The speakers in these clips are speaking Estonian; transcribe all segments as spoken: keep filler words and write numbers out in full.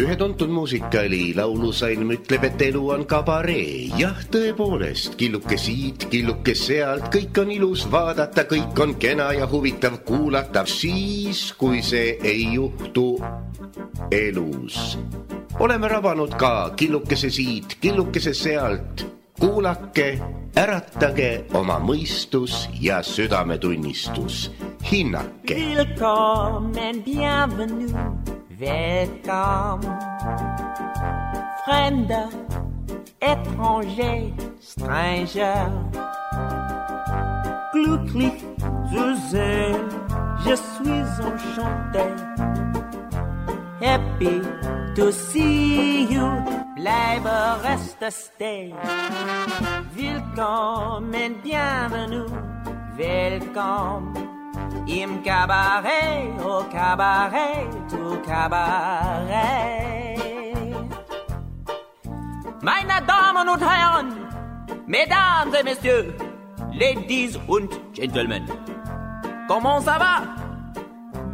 Ühe tuntud muusikali laulusalm ütleb, et elu on kabaree. Jah, tõepoolest, killuke siit, killuke sealt, kõik on ilus vaadata, kõik on kena ja huvitav kuulata. Siis, kui see ei juhtu elus. Oleme rabanud ka killukese siit, killukese sealt. Kuulake, äratage oma mõistus ja südametunnistus. Hinnake. Willkommen, bienvenue. Welcome, Fremder, étranger, stranger. Glücklich zu sehen, je suis enchanté. Happy to see you, bleibe reste stay. Willkommen, bienvenue, welcome. Im Cabaret, au Cabaret, au Cabaret. Meine Damen und Herren, Mesdames et Messieurs, Ladies und Gentlemen, comment ça va?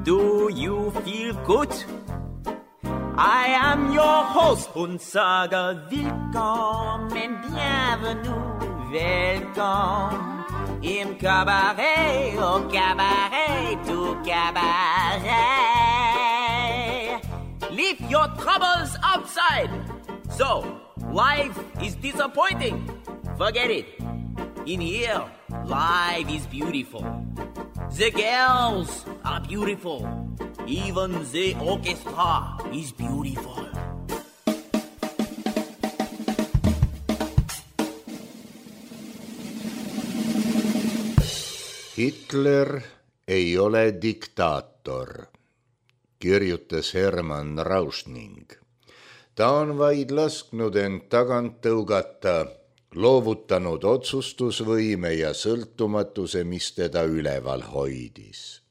Do you feel good? I am your host und sage willkommen, bienvenue, welcome. Im Cabaret, au Cabaret, au Cabaret. Leave your troubles outside. So, life is disappointing. Forget it. In here, life is beautiful. The girls are beautiful. Even the orchestra is beautiful. Hitler ei ole diktaator, kirjutas Hermann Rauschning. Ta on vaid lasknud end tagant tõugata, loovutanud otsustusvõime ja sõltumatuse, mis teda üleval hoidis.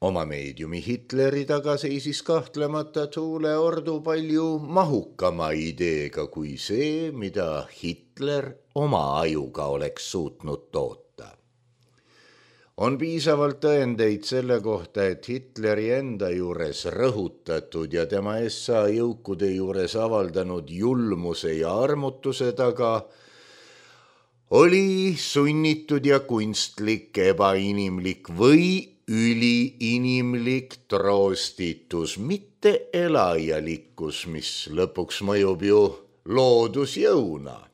Oma meediumi Hitleri taga seisis kahtlemata tuuleordu palju mahukama ideega kui see, mida Hitler oma ajuga oleks suutnud toota. On piisavalt tõendeid selle kohta, et Hitleri enda juures rõhutatud ja tema S A jõukude juures avaldanud julmuse ja armutuse taga oli sunnitud ja kunstlik, ebainimlik või üliinimlik troostitus, mitte elajalikkus, mis lõpuks mõjub ju loodusjõuna.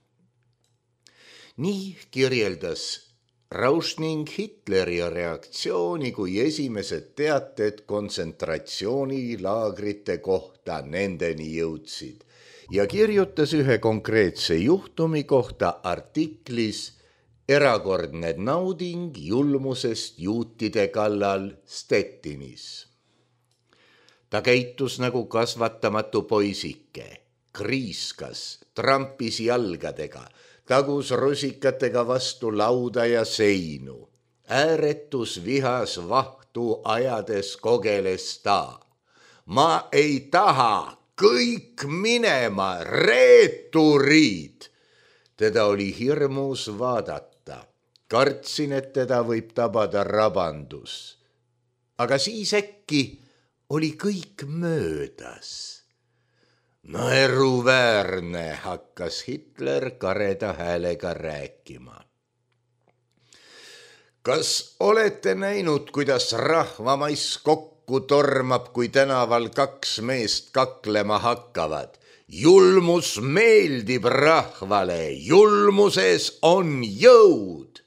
Nii kirjeldas Rauschning Hitleri reaktsiooni, kui esimesed teated kontsentratsioonilaagrite kohta nendeni jõudsid ja kirjutas ühe konkreetse juhtumi kohta artiklis Erakordne nauding julmusest juutide kallal Stettinis. Ta käitus nagu kasvatamatu poisike, kriiskas, trampis jalgadega, tagus rusikatega vastu lauda ja seinu. Ääretus vihas vahtu ajades kogeles ta. Ma ei taha, kõik minema, reeturid. Teda oli hirmus vaadata. Kartsin, et teda võib tabada rabandus. Aga siis äkki oli kõik möödas. Naeruväärne, hakkas Hitler kareda häälega rääkima. Kas olete näinud, kuidas rahvamais kokku tormab, kui tänaval kaks meest kaklema hakkavad? Julmus meeldib rahvale, julmuses on jõud.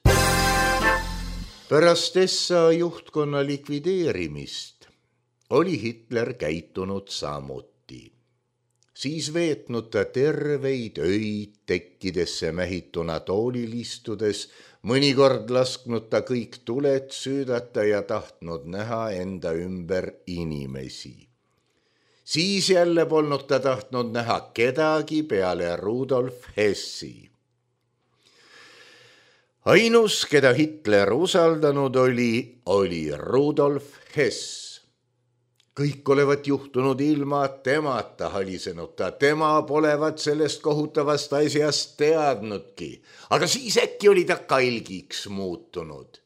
Pärast S A juhtkonna likvideerimist oli Hitler käitunud samuti. Siis veetnud ta terveid öid tekkidesse mähituna toolil istudes, mõnikord lasknud ta kõik tuled süüdata ja tahtnud näha enda ümber inimesi. Siis jälle polnud ta tahtnud näha kedagi peale Rudolf Hessi. Ainus, keda Hitler usaldanud oli, oli Rudolf Hess. Kõik olevat juhtunud ilma temata halisenud ta, tema polevat sellest kohutavast asjast teadnudki, aga siis äkki oli ta kalgiks muutunud.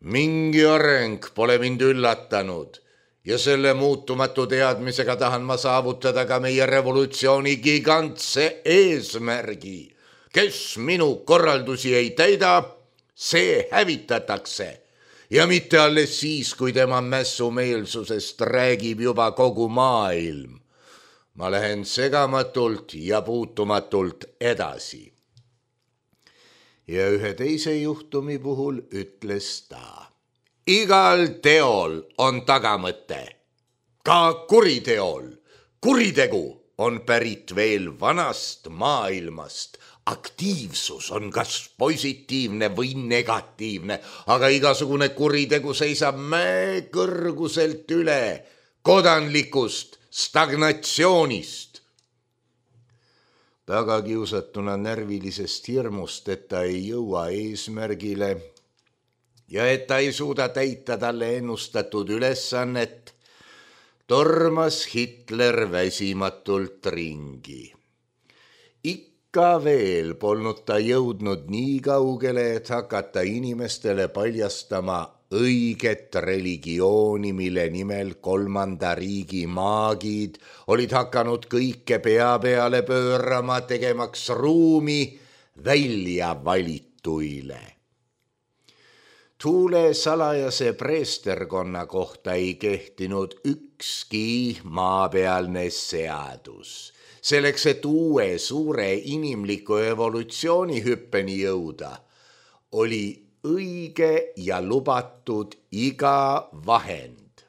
Mingi areng pole mind üllatanud, Ja selle muutumatu teadmisega tahan ma saavutada ka meie revolutsiooni gigantse eesmärgi. Kes minu korraldusi ei täida, see hävitatakse. Ja mitte alles siis, kui tema mässumeelsusest räägib juba kogu maailm. Ma lähen segamatult ja puutumatult edasi. Ja ühe teise juhtumi puhul ütles ta. Igal teol on tagamõte, ka kuriteol. Kuritegu on pärit veel vanast maailmast. Aktiivsus on kas positiivne või negatiivne, aga igasugune kuritegu seisab mäe kõrguselt üle kodanlikust stagnatsioonist. Tagakiusatuna närvilisest hirmust, et ta ei jõua eesmärgile ja et ta ei suuda täita talle ennustatud ülesannet, tormas Hitler väsimatult ringi. Ikka veel polnud ta jõudnud nii kaugele, et hakata inimestele paljastama õiget religiooni, mille nimel kolmanda riigi maagid olid hakanud kõike pea peale pöörama, tegemaks ruumi välja valituile. Tuule salajase preesterkonna kohta ei kehtinud ükski maapealne seadus. Selleks, et uue suure inimliku evolutsioonihüppeni jõuda, oli õige ja lubatud iga vahend.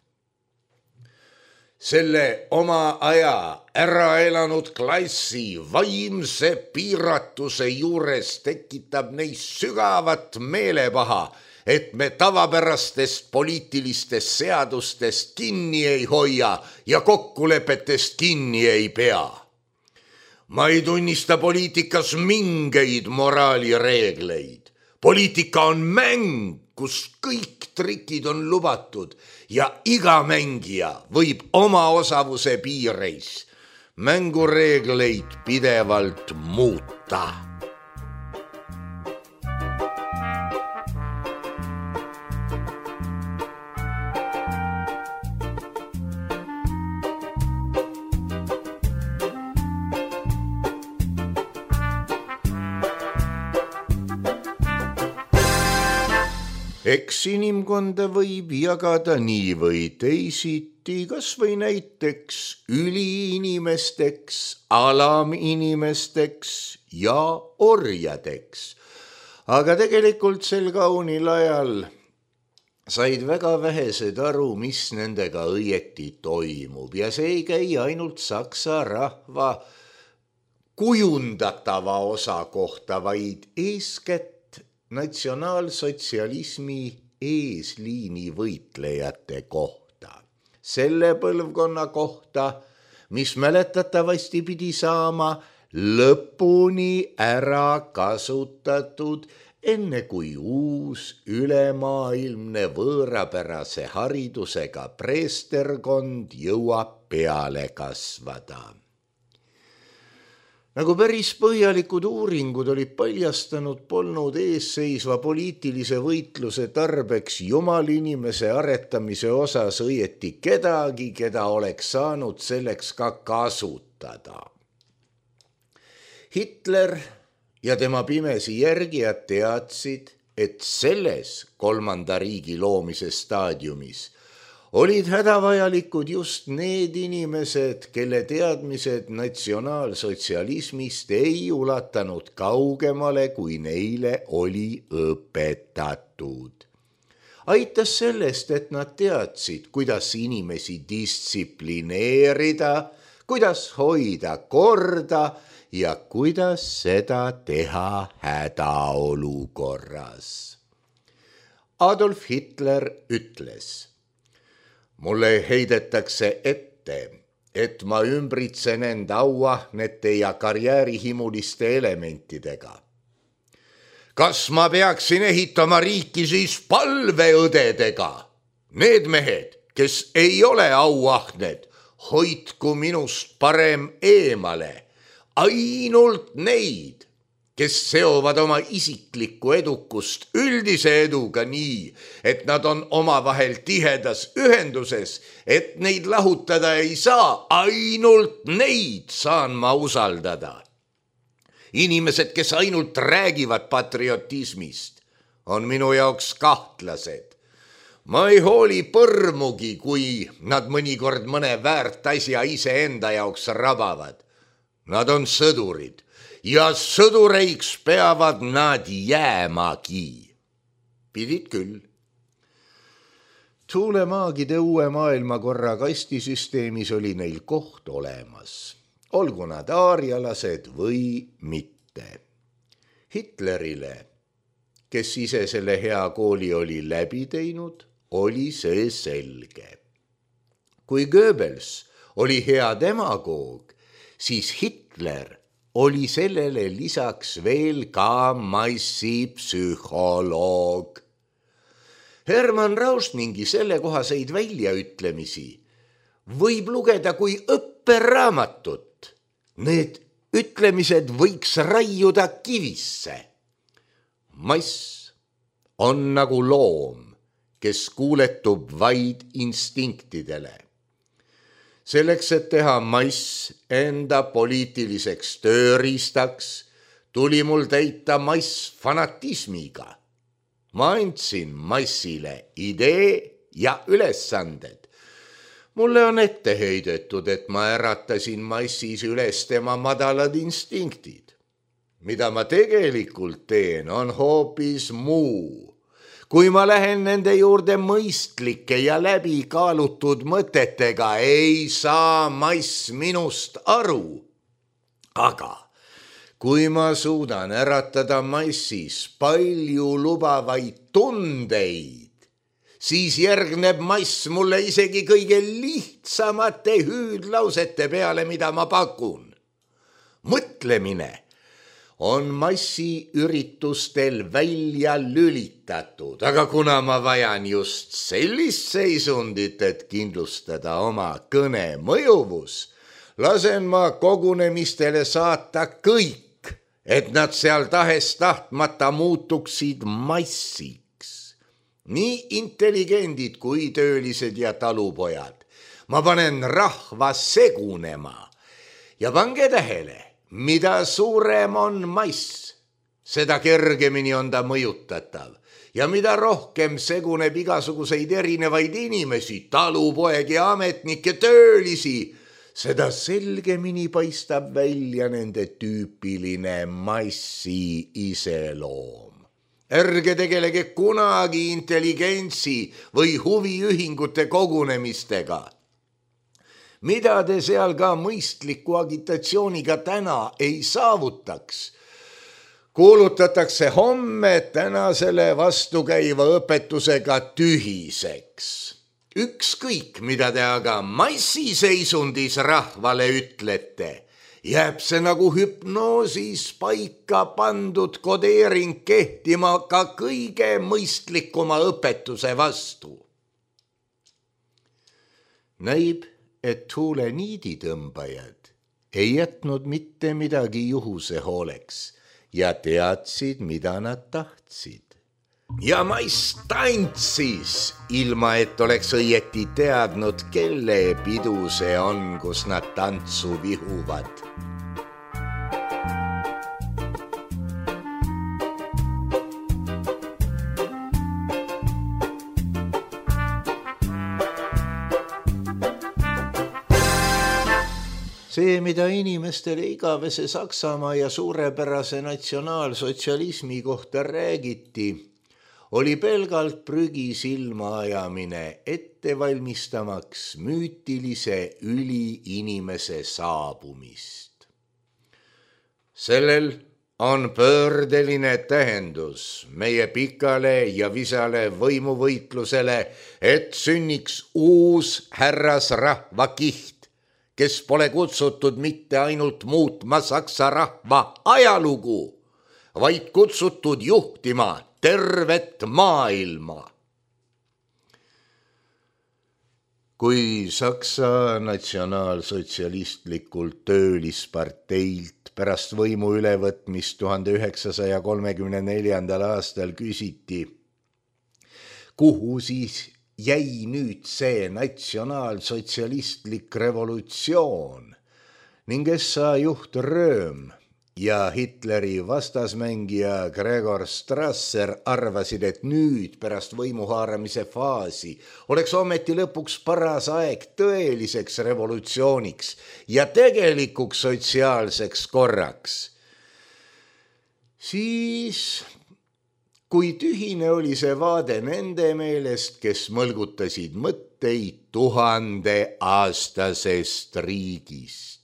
Selle oma aja ära elanud klassi vaimse piiratuse juures tekitab neis sügavat meelepaha, et me tavapärastest poliitilistest seadustest kinni ei hoia ja kokkulepetest kinni ei pea. Ma ei tunnista poliitikas mingeid moraalireegleid. Poliitika on mäng, kus kõik trikid on lubatud ja iga mängija võib oma osavuse piireis mängureegleid pidevalt muuta. Eks inimkonda võib jagada nii või teisiti, kas või näiteks üliinimesteks, alaminimesteks ja orjadeks. Aga tegelikult sel kaunil ajal said väga vähesed aru, mis nendega õieti toimub ja see ei käi ainult saksa rahva kujundatava osa kohta, vaid eeskätt natsionaalsotsialismi eesliini võitlejate kohta. Selle põlvkonna kohta, mis mäletatavasti pidi saama lõpuni ära kasutatud, enne kui uus ülemaailmne võõrapärase haridusega preesterkond jõuab peale kasvada. Nagu päris põhjalikud uuringud olid paljastanud, polnud eesseisva poliitilise võitluse tarbeks jumalinimese aretamise osas õieti kedagi, keda oleks saanud selleks ka kasutada. Hitler ja tema pimesi järgijad teadsid, et selles kolmanda riigi loomise staadiumis olid hädavajalikud just need inimesed, kelle teadmised natsionaalsotsialismist ei ulatanud kaugemale, kui neile oli õpetatud. Aitas sellest, et nad teadsid, kuidas inimesi distsiplineerida, kuidas hoida korda ja kuidas seda teha hädaolukorras. Adolf Hitler ütles: mulle heidetakse ette, et ma ümbritsen end auahnete ja karjäärihimuliste elementidega. Kas ma peaksin ehitama riiki siis palveõdedega? Need mehed, kes ei ole auahned, hoidku minust parem eemale. Ainult neid, kes seovad oma isiklikku edukust üldise eduga nii, et nad on omavahel tihedas ühenduses, et neid lahutada ei saa, ainult neid saan ma usaldada. Inimesed, kes ainult räägivad patriotismist, on minu jaoks kahtlased. Ma ei hooli põrmugi, kui nad mõnikord mõne väärt asja ise enda jaoks rabavad. Nad on sõdurid ja sõdureiks peavad nad jäämagi. Pidid küll. Tuulemaagide uue maailmakorra kastisüsteemis oli neil koht olemas, olgu nad aarialased või mitte. Hitlerile, kes ise selle hea kooli oli läbi teinud, oli see selge. Kui Goebbels oli hea demagoog, siis Hitler oli sellele lisaks veel ka massipsühholoog. Hermann Rausningi sellekohaseid väljaütlemisi võib lugeda kui õpperaamatut. Need ütlemised võiks raiuda kivisse. Mass on nagu loom, kes kuuletub vaid instinktidele. Selleks, et teha mass enda poliitiliseks tööriistaks, tuli mul täita mass fanatismiga. Ma andsin massile idee ja ülesanded. Mulle on ette heidetud, et ma äratasin massis üles tema madalad instinktid. Mida ma tegelikult teen, on hoopis muu. Kui ma lähen nende juurde mõistlike ja läbi kaalutud mõtetega, ei saa mass minust aru. Aga kui ma suudan äratada massis palju lubavaid tundeid, siis järgneb mass mulle isegi kõige lihtsamate hüüdlausete peale, mida ma pakun. Mõtlemine on massi üritustel välja lülitatud, aga kuna ma vajan just sellist seisundit, et kindlustada oma kõne mõjuvus, lasen ma kogunemistele saata kõik, et nad seal tahes tahtmata muutuksid massiks. Nii intelligendid kui töölised ja talupojad. Ma panen rahva segunema ja pange tähele, mida suurem on mass, seda kergemini on ta mõjutatav ja mida rohkem seguneb igasuguseid erinevaid inimesi, talupoegi, ametnikke, töölisi, seda selgemini paistab välja nende tüüpiline massi iseloom. Ärge tegelege kunagi intelligentsi või huviühingute kogunemistega. Mida te seal ka mõistliku agitatsiooniga täna ei saavutaks, kuulutatakse homme tänasele vastukäiva õpetusega tühiseks. Ükskõik, mida te aga massiseisundis rahvale ütlete, jääb see nagu hüpnoosis paika pandud kodeering kehtima ka kõige mõistlikuma õpetuse vastu. Näib, et tuule niiditõmbajad ei jätnud mitte midagi juhuse hooleks ja teadsid, mida nad tahtsid. Ja mass tantsis, ilma et oleks õieti teadnud, kelle pidu see on, kus nad tantsu vihuvad. See, mida inimestele igavese Saksamaa ja suurepärase natsionaalsotsialismi kohta räägiti, oli pelgalt prügi silmaajamine ette valmistamaks müütilise üliinimese saabumist. Sellel on pöördeline tähendus meie pikale ja visale võimuvõitlusele, et sünniks uus härrasrahva kiht, kes pole kutsutud mitte ainult muutma saksa rahva ajalugu, vaid kutsutud juhtima tervet maailma. Kui Saksa natsionaalsotsialistlikult töölisparteilt pärast võimu ülevõtmist tuhande üheksasaja kolmekümne neljandal aastal küsiti, kuhu siis jäi nüüd see natsionaalsotsialistlik revolutsioon ning S A juht Rööm ja Hitleri vastasmängija Gregor Strasser arvasid, et nüüd pärast võimuhaaramise faasi oleks ometi lõpuks paras aeg tõeliseks revolutsiooniks ja tegelikuks sotsiaalseks korraks. Siis, kui tühine oli see vaade nende meelest, kes mõlgutasid mõtteid tuhande aastasest riigist.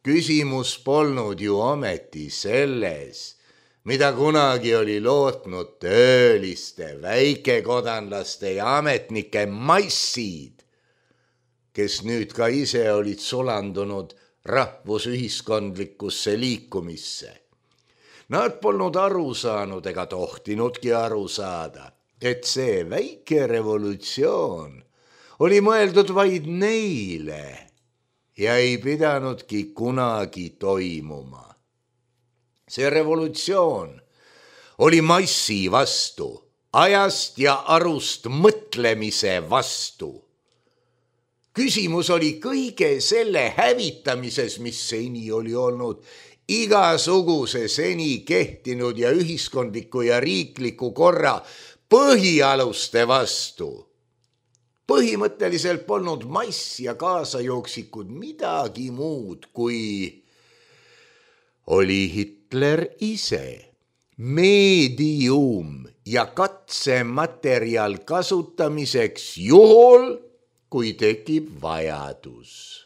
Küsimus polnud ju ometi selles, mida kunagi oli lootnud tööliste, väikekodanlaste ja ametnike massid, kes nüüd ka ise olid sulandunud rahvusühiskondlikusse liikumisse. Nad polnud aru saanud ega tohtinudki aru saada, et see väike revolutsioon oli mõeldud vaid neile ja ei pidanudki kunagi toimuma. See revolutsioon oli massi vastu, ajast ja arust mõtlemise vastu. Küsimus oli kõige selle hävitamises, mis seni oli olnud igasuguse seni kehtinud ja ühiskondliku ja riikliku korra põhialuste vastu. Põhimõtteliselt polnud mass ja kaasajooksikud midagi muud, kui oli Hitler ise, meedium ja katsematerjal kasutamiseks juhul, kui tekib vajadus.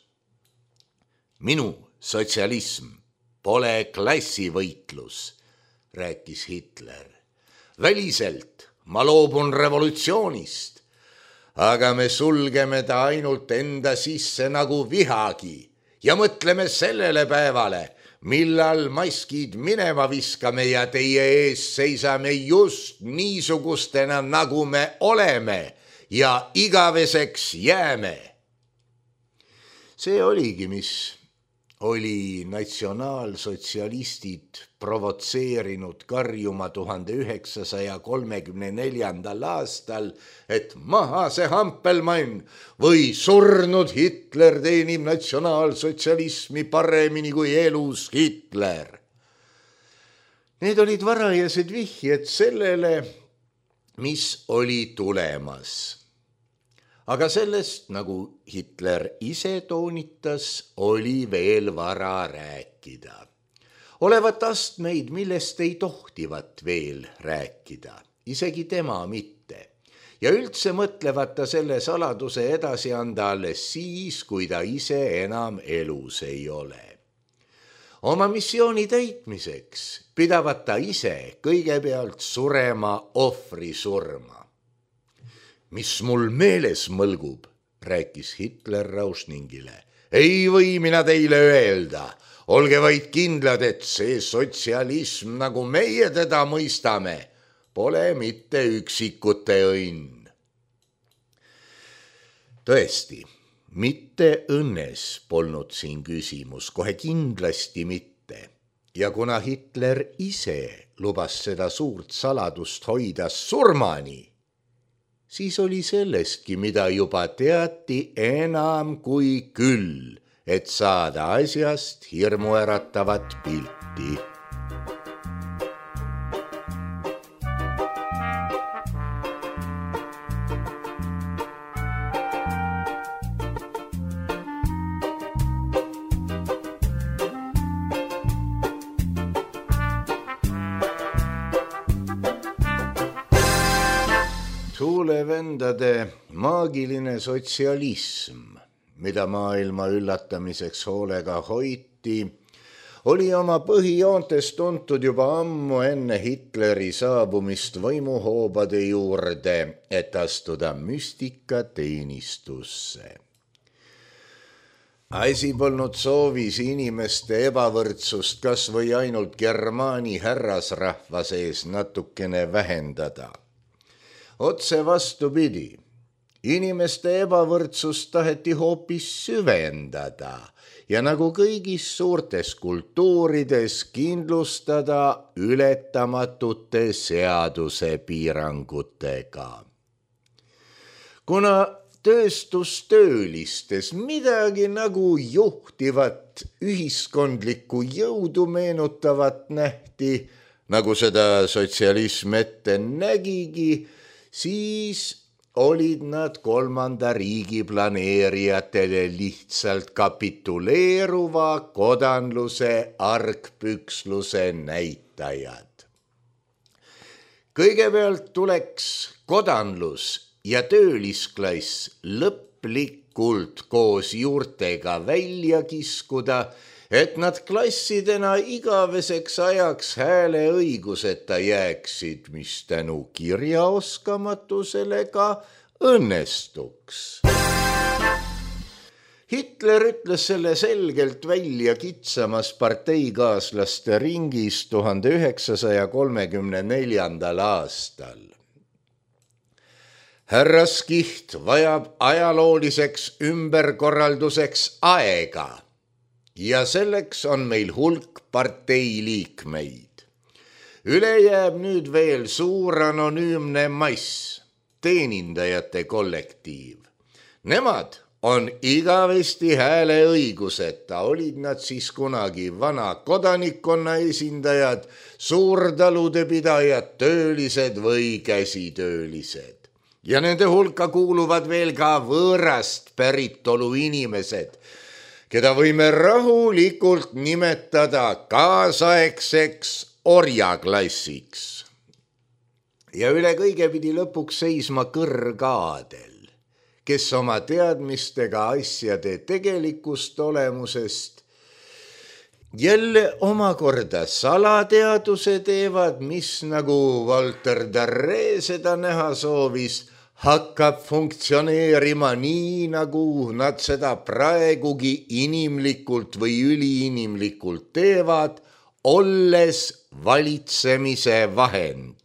Minu sotsialism pole klassivõitlus, rääkis Hitler. Väliselt ma loobun revolutsioonist, aga me sulgeme ta ainult enda sisse nagu vihagi ja mõtleme sellele päevale, millal maskid minema viskame ja teie ees seisame just niisugustena, nagu me oleme ja igaveseks jääme. See oligi, mis oli natsionaalsotsialistid provotseerinud karjuma tuhande üheksasaja kolmekümne neljandal aastal, et maha see Hampelmann või surnud Hitler teenib natsionaalsotsialismi paremini kui elus Hitler. Need olid varajased vihjed sellele, mis oli tulemas. Aga sellest, nagu Hitler ise toonitas, oli veel vara rääkida. Olevat astmeid, millest ei tohtivat veel rääkida, isegi tema mitte. Ja üldse mõtlevat ta selle saladuse edasi anda alles siis, kui ta ise enam elus ei ole. Oma missiooni täitmiseks pidavat ta ise kõigepealt surema ohvri surma. Mis mul meeles mõlgub, rääkis Hitler Rausningile. Ei või mina teile öelda, olge vaid kindlad, et see sotsialism, nagu meie teda mõistame, pole mitte üksikute õnn. Tõesti, mitte õnnes polnud siin küsimus, kohe kindlasti mitte. Ja kuna Hitler ise lubas seda suurt saladust hoida surmani, siis oli sellestki, mida juba teati enam kui küll, et saada asjast hirmuäratavat pilti. Tuulevendade maagiline sotsialism, mida maailma üllatamiseks hoolega hoiti, oli oma põhijoontes tuntud juba ammu enne Hitleri saabumist võimuhoobade juurde, et astuda müstikateenistusse. Asi polnud soovis inimeste ebavõrdsust kas või ainult germaani härrasrahva sees natukene vähendada. Otse vastupidi, inimeste ebavõrdsust taheti hoopis süvendada ja nagu kõigis suurtes kultuurides kindlustada ületamatute seaduse piirangutega. Kuna tööstustöölistes midagi nagu juhtivat ühiskondlikku jõudu meenutavat nähti, nagu seda sotsialism ette nägigi, siis olid nad kolmanda riigi planeerijatele lihtsalt kapituleeruva kodanluse argpüksluse näitajad. Kõigepealt tuleks kodanlus ja töölisklass lõplikult koos juurtega välja kiskuda, et nad klassidena igaveseks ajaks hääleõiguseta jääksid, mis tänu kirjaoskamatusele ka õnnestuks. Hitler ütles selle selgelt välja kitsamas parteikaaslaste ringis tuhande üheksasaja kolmekümne neljandal aastal. Härraskiht vajab ajalooliseks ümberkorralduseks aega. Ja selleks on meil hulk parteiliikmeid. Üle jääb nüüd veel suur anonüümne mass, teenindajate kollektiiv. Nemad on igavesti hääleõiguseta, olid nad siis kunagi vana kodanikkonna esindajad, suurtalude pidajad, töölised või käsitöölised. Ja nende hulka kuuluvad veel ka võõrast päritolu inimesed, keda võime rahulikult nimetada kaasaegseks orjaklassiks. Ja üle kõige pidi lõpuks seisma kõrgaadel, kes oma teadmistega asjade tegelikust olemusest jälle omakorda salateaduse teevad, mis nagu Walter Darré seda näha soovis, hakkab funktsioneerima nii, nagu nad seda praegugi inimlikult või üliinimlikult teevad, olles valitsemise vahend.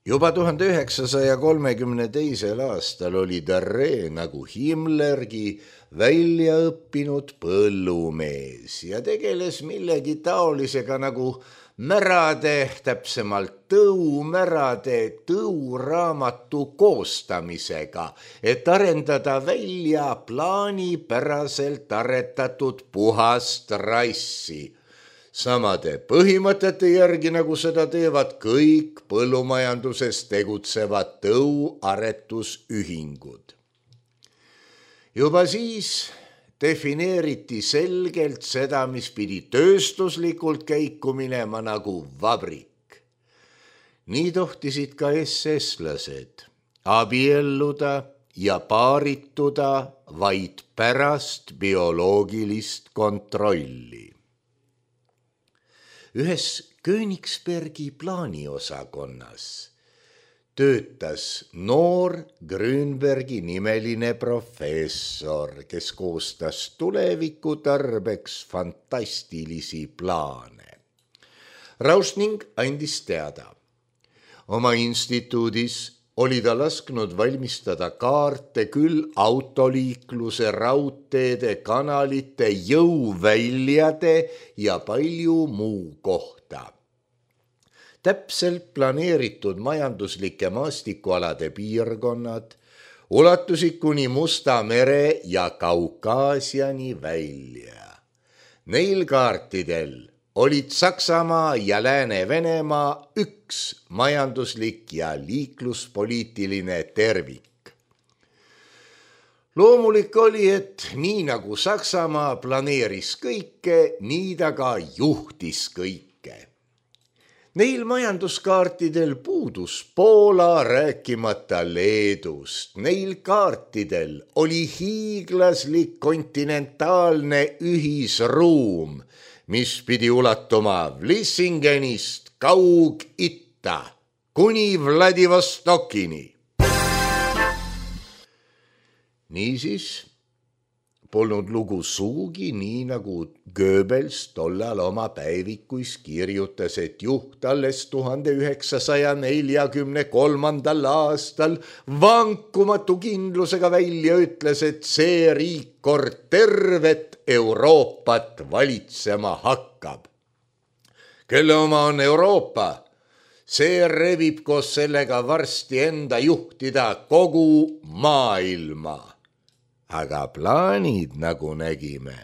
Juba tuhande üheksasaja kolmekümne teisel aastal oli Darré nagu Himmlergi välja õppinud põllumees ja tegeles millegi taolisega nagu märade, täpsemalt tõumärade tõuraamatu koostamisega, et arendada välja plaanipäraselt aretatud puhast rassi. Samade põhimõtete järgi, nagu seda teevad kõik põllumajanduses tegutsevad tõuaretusühingud. Juba siis defineeriti selgelt seda, mis pidi tööstuslikult käiku minema nagu vabrik. Nii tohtisid ka SS-lased abielluda ja paarituda vaid pärast bioloogilist kontrolli. Ühes Königsbergi plaaniosakonnas töötas noor Grünbergi nimeline professor, kes koostas tuleviku tarbeks fantastilisi plaane. Rausning andis teada. Oma instituudis oli ta lasknud valmistada kaarte küll autoliikluse, raudteede, kanalite, jõuväljade ja palju muu kohta. Täpselt planeeritud majanduslike maastikualade piirkonnad ulatusid kuni Musta mere ja Kaukaasiani välja. Neil kaartidel olid Saksamaa ja Lääne-Venemaa üks majanduslik ja liikluspoliitiline tervik. Loomulik oli, et nii nagu Saksamaa planeeris kõike, nii ta ka juhtis kõike. Neil majanduskaartidel puudus Poola, rääkimata Leedust. Neil kaartidel oli hiiglaslik kontinentaalne ühisruum, mis pidi ulatuma Vlissingenist Kaug-Itta kuni Vladivostokini. Niisiis, polnud lugu suugi nii nagu Goebbels tollal oma päevikuis kirjutas, et juht alles tuhande üheksasaja neljakümne kolmandal aastal vankumatu kindlusega välja ütles, et see riik kord tervet Euroopat valitsema hakkab. Kelle oma on Euroopa? See revib koos sellega varsti enda juhtida kogu maailma. Aga plaanid, nagu nägime,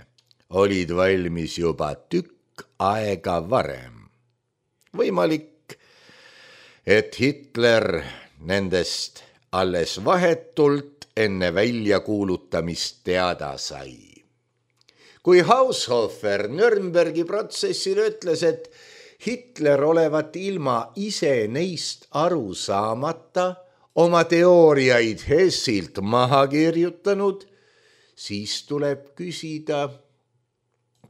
olid valmis juba tükk aega varem. Võimalik, et Hitler nendest alles vahetult enne väljakuulutamist teada sai. Kui Haushofer Nürnbergi protsessil ütles, et Hitler olevat ilma ise neist aru saamata oma teooriaid Hessilt maha kirjutanud, siis tuleb küsida,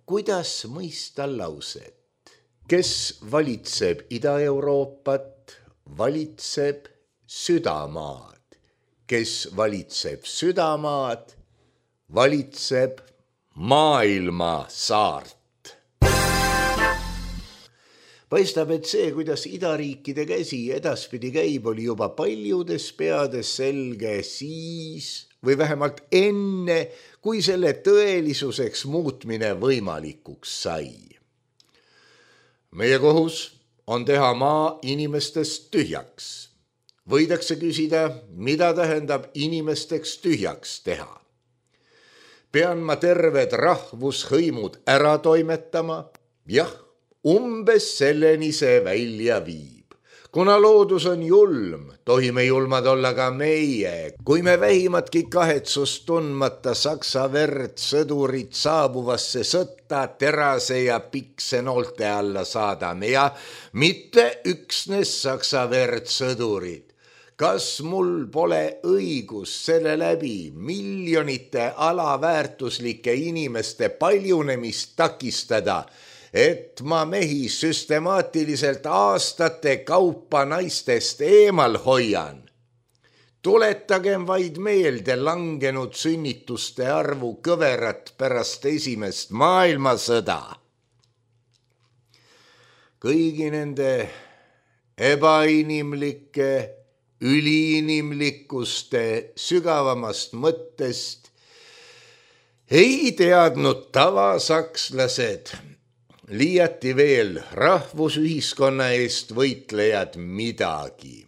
kuidas mõista lauset. Kes valitseb Ida-Euroopat, valitseb südamaad. Kes valitseb südamaad, valitseb maailma saart. Paistab, et see, kuidas idariikide käsi edaspidi käib, oli juba paljudes peades selge siis või vähemalt enne, kui selle tõelisuseks muutmine võimalikuks sai. Meie kohus on teha maa inimestest tühjaks. Võidakse küsida, mida tähendab inimesteks tühjaks teha. Pean ma terved rahvushõimud ära toimetama? Jah, umbes selleni see välja viib. Kuna loodus on julm, tohime julmad olla ka meie. Kui me vähimatki kahetsust tundmata saksa verd sõdurid saabuvasse sõtta terase ja pikse noolte alla saadame ja mitte üksnes saksa verd sõdurid. Kas mul pole õigus selle läbi miljonite alaväärtuslike inimeste paljunemist takistada, et ma mehi süstemaatiliselt aastate kaupa naistest eemal hoian? Tuletagem vaid meelde langenud sünnituste arvu kõverat pärast esimest maailmasõda. Kõigi nende ebainimlike, üliinimlikkuste sügavamast mõttest ei teadnud tavasakslased, liiati veel rahvusühiskonna eest võitlejad midagi.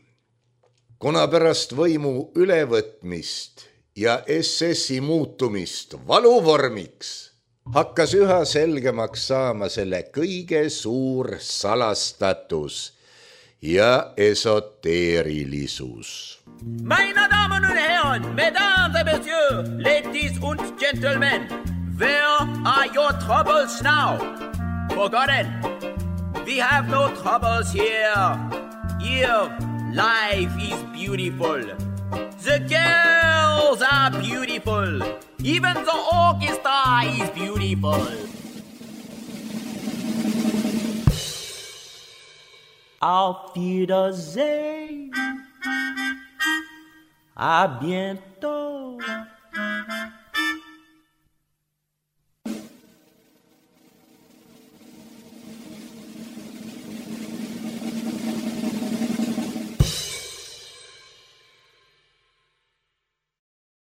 Kuna pärast võimu ülevõtmist ja S S-i muutumist valuvormiks hakkas üha selgemaks saama selle kõige suur salastatus ja esoteerilisus. Meine Damen und Herren, Mesdames et Messieurs, Ladies und Gentlemen, where are your troubles now? Forgotten. We have no troubles here. Here, life is beautiful. The girls are beautiful. Even the orchestra is beautiful. Auf Wiedersehen. À bientôt.